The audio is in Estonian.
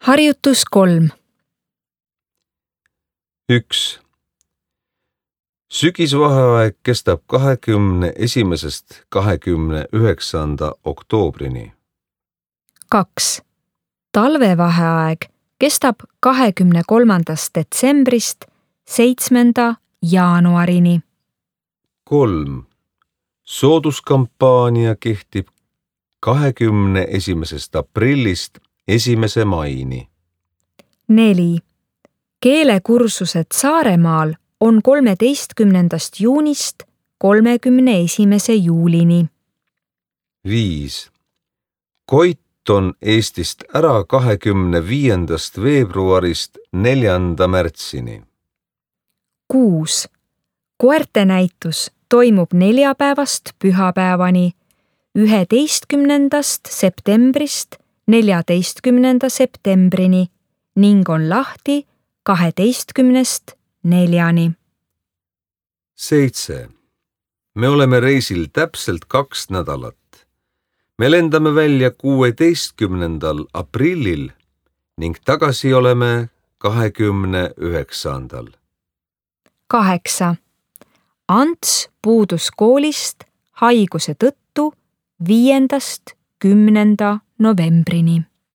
Harjutus 3. 1. Sügisvaheaeg kestab 21. 29. oktoobrini. 2. Talvevaheaeg kestab 23. detsembrist 7. jaanuarini. 3. Sooduskampaania kehtib 21. aprillist 1. maini. 4. Keelekursused Saaremaal on 13. juunist 31. juulini. 5. Koit on Eestist ära 25. veebruarist 4. märtsini. 6. Koertenäitus toimub neljapäevast pühapäevani 11. septembrist 14. septembrini ning on lahti 12.4. 7. Me oleme reisil täpselt 2 nädalat. Me lendame välja 16. aprillil ning tagasi oleme 29. 8. Ants puudus koolist haiguse tõttu 5. 10. novembrini.